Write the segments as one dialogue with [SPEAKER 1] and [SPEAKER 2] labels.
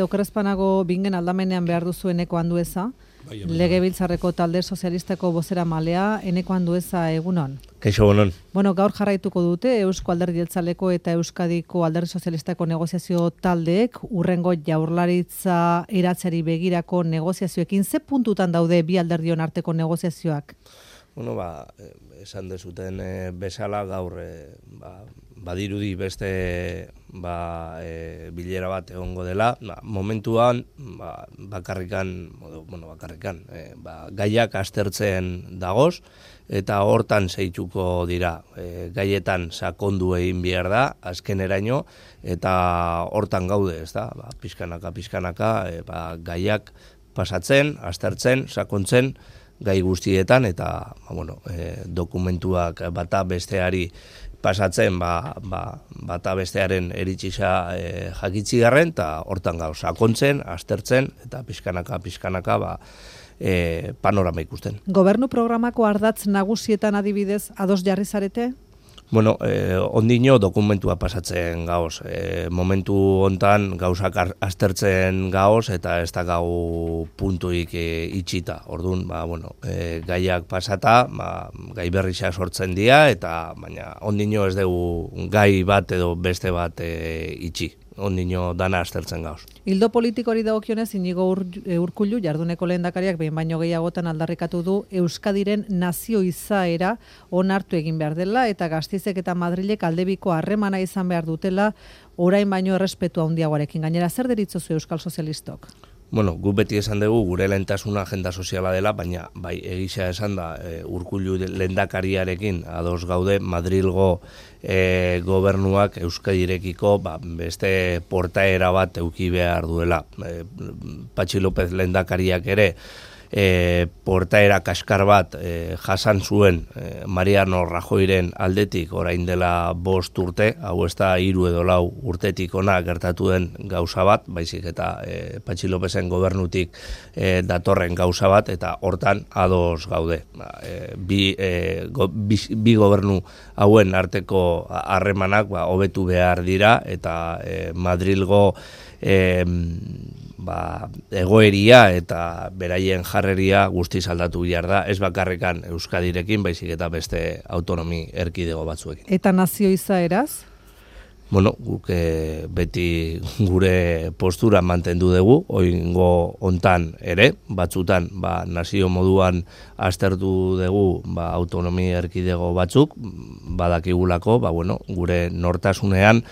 [SPEAKER 1] Okerrezpanago bingen aldamenean behar duzu Eneko Andueza, Legebiltzarreko talde sozialistako bozera malea, Eneko Andueza, egunon.
[SPEAKER 2] Kaixo, egunon.
[SPEAKER 1] Bueno, gaur jarraituko dute Eusko Alderdi Jeltzaleko eta Euskadiko Alderdi Sozialistako negoziazio taldeek urrengo jaurlaritza eratzeari begirako negoziazioekin. Ze puntutan daude bi alderdion arteko negoziazioak?
[SPEAKER 2] Bueno, esan dezuten bezala gaur badirudi beste bilera bat egongo dela. Momentuan bakarrikan, gaiak aztertzen dagoz eta hortan zeituko dira. Gaietan sakondu egin behar da, azkeneraino, eta hortan gaude, ez da, pixkanaka, gaiak pasatzen, aztertzen, sakontzen, gai guztietan eta dokumentuak bata besteari pasatzen bata bestearen eritxisa jakitzigarren eta hortan gauz sakontzen, aztertzen eta pixkanaka panorama ikusten.
[SPEAKER 1] Gobernu programako ardatz nagusietan adibidez ados jarri zarete?
[SPEAKER 2] Bueno, ondino dokumentua pasatzen gaoz. Momentu hontan gauzak aztertzen gaoz eta ez da gau puntuik itxita. Orduan, gaiak pasata, gai berrixa sortzen dira eta baina ondino ez dugu gai bat edo beste bat itxi. Ondino dana aztertzen gauz.
[SPEAKER 1] Ildo politikori dagokionez Inigo Urkullu jarduneko lehendakariak behin baino gehiagotan aldarrikatu du Euskadiren nazio izaera onartu egin behar dela eta Gasteizek eta Madrilek aldebiko harremana izan behar dutela orain baino errespetu handiagoarekin. Gainera, zer deritzozu Euskal Sozialistok?
[SPEAKER 2] Bueno, gu beti esan dugu gure lehentasuna agenda soziala dela, baina egisa esan da Urkullu lehendakariarekin ados gaude Madrilgo gobernuak Euskadirekiko beste portaera bat eduki behar duela. Patxi López lehendakariak ere portaera kaskar bat jasan zuen Mariano Rajoyren aldetik orain dela 5 urte, hau ez da 3 edo 4 urtetik ona gertatu den gauza bat, baizik eta Patxi Lópezen gobernutik datorren gauza bat, eta hortan ados gaude. Bi gobernu hauen arteko harremanak hobetu behar dira, eta Madrilgo egoeria eta beraien jarreria guztiz aldatu behar da, ez bakarrekan Euskadirekin, baizik eta beste autonomi erkidego batzuekin.
[SPEAKER 1] Eta nazio izaeraz?
[SPEAKER 2] Bueno, guk beti gure postura mantendu dugu, oingo hontan ere, batzutan nazio moduan aztertu dugu autonomi erkidego batzuk, badakigulako, gure nortasunean,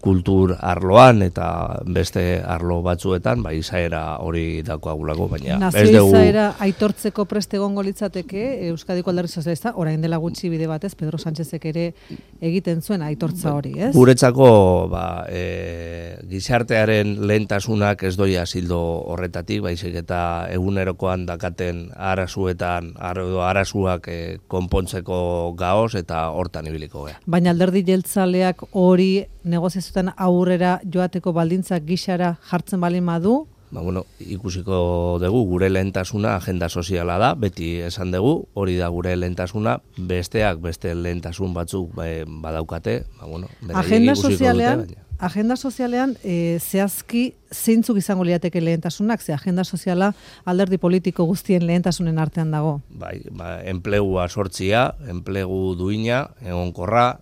[SPEAKER 2] kultur arloan eta beste arlo batzuetan, izaera hori dakoagulako, baina ez dugu...
[SPEAKER 1] Nazio izaera aitortzeko prest egongo litzateke Euskadiko Alderdi Sozialista, orain dela gutxi bide batez, Pedro Sánchezek ere egiten zuen aitortza hori, ez?
[SPEAKER 2] Guretzako gizartearen lehentasunak ez doia zildo horretatik, baizik eta egunerokoan dakaten arazuak konpontzeko gaoz eta hortan ibiliko gea.
[SPEAKER 1] Baina Alderdi Jeltzaleak hori negoziazioetan aurrera joateko baldintzak gixara jartzen balin badu?
[SPEAKER 2] Ikusiko dugu, gure lehentasuna agenda soziala da, beti esan dugu, hori da gure lehentasuna, beste lehentasun batzuk badaukate,
[SPEAKER 1] Agenda sozialean zehazki zeintzuk izango lirateke lehentasunak, ze agenda soziala alderdi politiko guztien lehentasunen artean dago.
[SPEAKER 2] Enplegua sortzia, enplegu duina, egonkorra,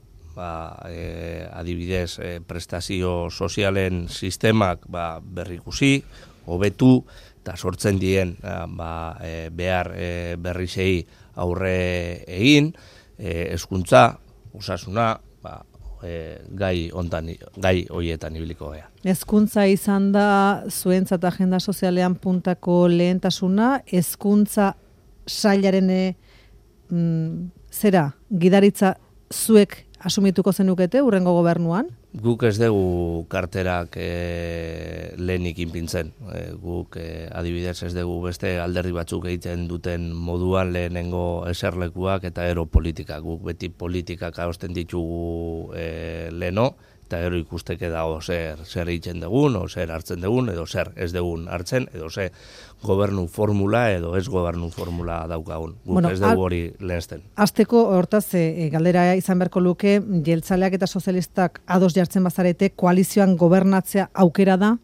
[SPEAKER 2] adibidez prestazio sozialen sistemak berrikusi, hobetu eta sortzen dien behar berrizei aurre egin, hezkuntza, osasuna, gai horietan ibiliko gea.
[SPEAKER 1] Hezkuntza izan da zuentzat agenda sozialean puntako lehentasuna, hezkuntza sailaren gidaritza zuek asumituko zenukete urrengo gobernuan?
[SPEAKER 2] Guk ez dugu karterak lehenik inpintzen. Guk adibidez ez dugu beste alderdi batzuk egiten duten moduan lehenengo eserlekuak eta ero politikak. Guk beti politikak adosten ditugu leheno, eta gero ikusteke dago zer egiten dugun, o zer hartzen dugun, edo zer ez dugun hartzen, edo zer gobernu formula edo ez gobernu formula daukagun. Guk ez dugu hori lehensten.
[SPEAKER 1] Azteko hortaz, galdera izan beharko luke, jeltzaleak eta sozialistak ados jartzen bazarete, koalizioan gobernatzea aukera da?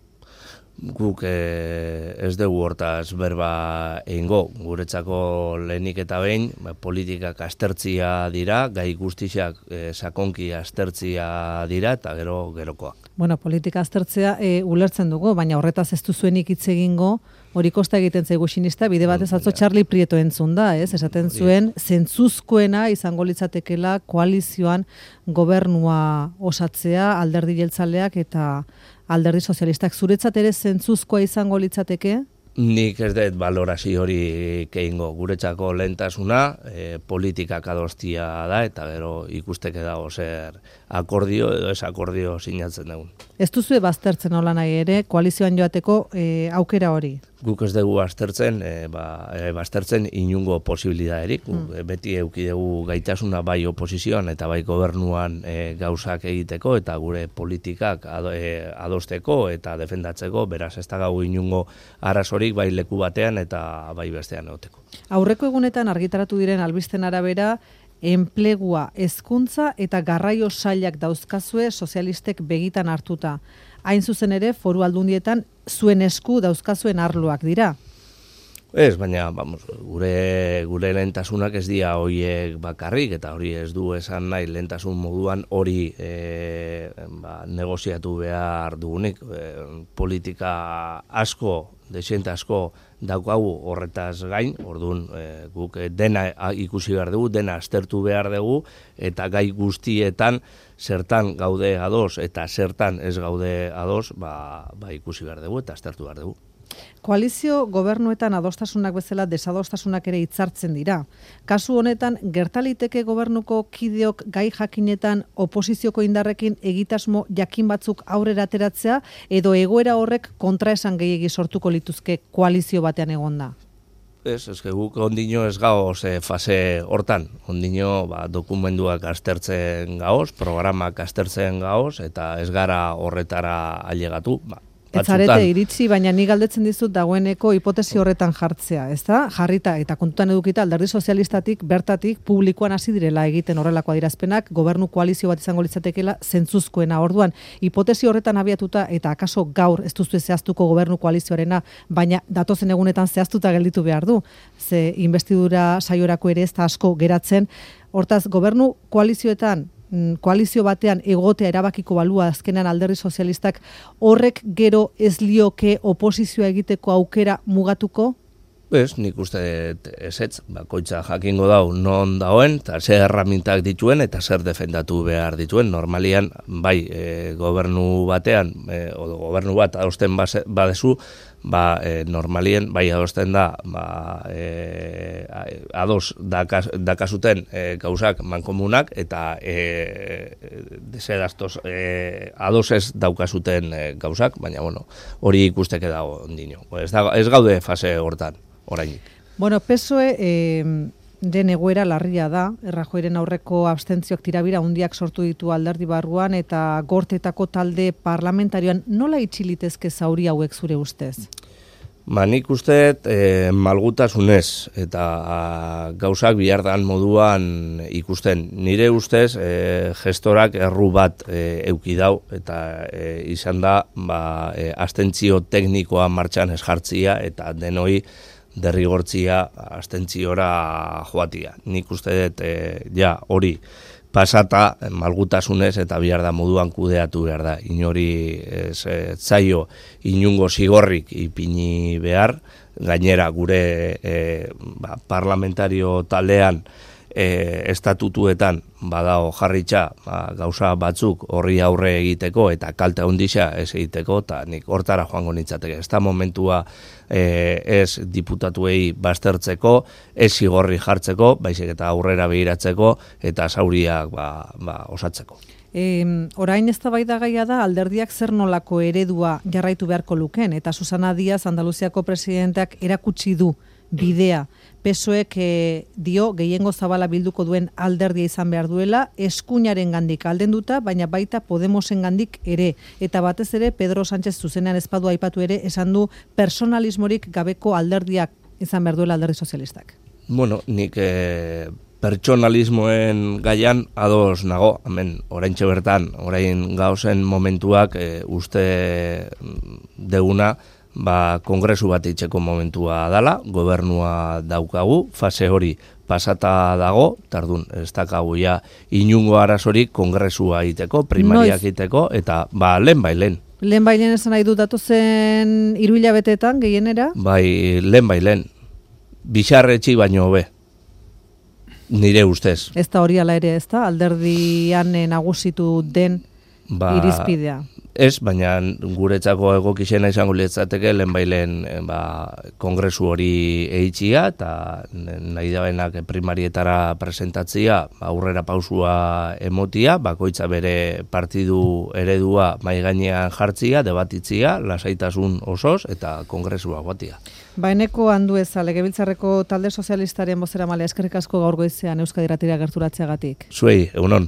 [SPEAKER 2] Guk ez dugu hortaz berba egingo, guretzako lehenik eta behin, politikak aztertzia dira, gai guztiak sakonki aztertzia dira eta gerokoa.
[SPEAKER 1] Bueno, politika aztertzea ulertzen dugu, baina horretaz ez duzuenik hitz egingo, hori kosta egiten zaigu sinista, bide batez atzo Charlie Prieto entzun da, esaten zuen, zentzuzkoena izango litzatekela koalizioan gobernua osatzea, alderdi jeltzaleak eta alderdi sozialistak. Zuretzat ere zentzuzkoa izango litzateke?
[SPEAKER 2] Nik ez dut balorazio hori egingo. Guretzako lehentasuna politikak adostia da eta gero ikusteke dago zer akordio edo ez akordio sinatzen dugun.
[SPEAKER 1] Ez duzue baztertzen hola nahi ere koalizioan joateko aukera hori?
[SPEAKER 2] Guk ez dugu baztertzen inungo posibilidaderik. Beti eduki dugu gaitasuna bai oposizioan eta bai gobernuan gauzak egiteko eta gure politikak adosteko eta defendatzeko, beraz ez da gau inungo arazorik bai leku batean eta bai bestean egoteko.
[SPEAKER 1] Aurreko egunetan argitaratu diren albisten arabera, enplegua, hezkuntza eta garraio sailak dauzkazue sozialistek begitan hartuta. Hain zuzen ere, foru aldundietan zuen esku dauzkazuen arloak dira.
[SPEAKER 2] Ez, baina gure lehentasunak ez dira horiek bakarrik, eta hori ez du esan nahi lehentasun moduan hori negoziatu behar dugunik. Politika asko, desiente asko daukagu horretaz gain, orduan guk dena ikusi behar dugu, dena aztertu behar dugu, eta gai guztietan zertan gaude ados eta zertan ez gaude ados, ikusi behar dugu eta aztertu behar dugu.
[SPEAKER 1] Koalizio gobernuetan adostasunak bezala desadostasunak ere hitzartzen dira. Kasu honetan, gertaliteke gobernuko kideok gai jakinetan oposizioko indarrekin egitasmo jakin batzuk aurrera ateratzea edo egoera horrek kontraesan gehiegi sortuko lituzke koalizio batean egonda?
[SPEAKER 2] Ez guk ondino ez gaoz fase hortan. Ondino dokumentuak aztertzen gaoz, programak aztertzen gaoz, eta ez gara horretara ailegatu.
[SPEAKER 1] Ez zarete iritsi, baina ni galdetzen dizut dagoeneko hipotesi horretan jartzea, ezta? Jarrita eta kontutan edukita alderdi sozialistatik bertatik publikoan hasi direla egiten horrelako adierazpenak, gobernu koalizio bat izango litzatekeela zentzuzkoena. Orduan, hipotesi horretan abiatuta eta akaso gaur ez duzu zehaztuko gobernu koalizioarena, baina datozen egunetan zehaztuta gelditu behar du. Ze investidura saiorako ere ez da asko geratzen. Hortaz, gobernu koalizioetan koalizio batean egotea erabakiko balua azkenan alderdi sozialistak horrek gero ez lioke oposizioa egiteko aukera mugatuko?
[SPEAKER 2] Ez, nik uste ezetz, bakoitza jakingo dau non dauen, eta zer erramintak dituen eta zer defendatu behar dituen. Normalian, bai, gobernu batean, o gobernu bat adosten badezu, normalien, bai adosten da, ados dakazuten gauzak mankomunak, eta desedaztoz ados ez daukazuten gauzak, baina, hori ikusteke dago ondino. Ez gaude fase hortan. Orainik.
[SPEAKER 1] Bueno, PSOE den egoera larria da, Rajoyren aurreko abstentzioak tirabira hundiak sortu ditu alderdi barruan eta gortetako talde parlamentarioan nola itxilitezke zauri hauek zure ustez?
[SPEAKER 2] Nik uste malgutasunez eta gauzak bihardan moduan ikusten. Nire ustez gestorak erru bat euki dau eta izan da abstentzio teknikoa martxan ez jartzia eta denoi derrigortzia abstentziora joatia. Nik uste dut hori pasata malgutasunez eta bihar da moduan kudeatu behar da. Inori zaio inungo zigorrik ipini behar, gainera gure parlamentario taldean estatutuetan badao jarritxa gauza batzuk horri aurre egiteko eta kalte handia ez egiteko, eta nik hortara joango nintzateke. Ez da momentua ez diputatuei baztertzeko, ez zigorri jartzeko, baizik eta aurrera begiratzeko eta zauriak osatzeko.
[SPEAKER 1] Orain eztabaidagaia da alderdiak zer nolako eredua jarraitu beharko lukeen, eta Susana Díaz Andaluziako presidenteak erakutsi du bidea. PSOEk dio gehiengo zabala bilduko duen alderdia izan behar duela, eskuinaren gandik aldenduta, baina baita Podemosen gandik ere. Eta batez ere, Pedro Sánchez zuzenean ezpadu aipatu ere, esan du personalismorik gabeko alderdiak izan behar duela alderdi sozialistak.
[SPEAKER 2] Nik pertsonalismoen gaian ados nago, hemen oraintxe bertan, orain gauzen momentuak uste deguna, kongresu bat itxeko momentua dala, gobernua daukagu, fase hori pasata dago, tardun, ez dakagu ja inungo arazorik kongresua iteko, primariak iteko, eta lehen bai lehen.
[SPEAKER 1] Lehen bai lehen esan nahi du datozen 3 hilabeteetan gehienera?
[SPEAKER 2] Bai, lehen. Bixarretxi baino hobe. Nire ustez.
[SPEAKER 1] Ez da hori ala ere, ez da? Alderdian nagusitu den irizpidea.
[SPEAKER 2] Ez, baina guretzako egokixena izango litzateke lehen kongresu hori eitxia eta nahi dabenak primarietara presentatzia aurrera pausua emotia, bakoitza bere partidu eredua mai gainean jartzia, debatitzia, lasaitasun osoz eta kongresua guatia.
[SPEAKER 1] Eneko Andueza, Legebiltzarreko talde sozialistaren bozeramalea, eskerrik asko gaur goizean Euskadi Irratira gerturatzeagatik.
[SPEAKER 2] Zuei, egunon.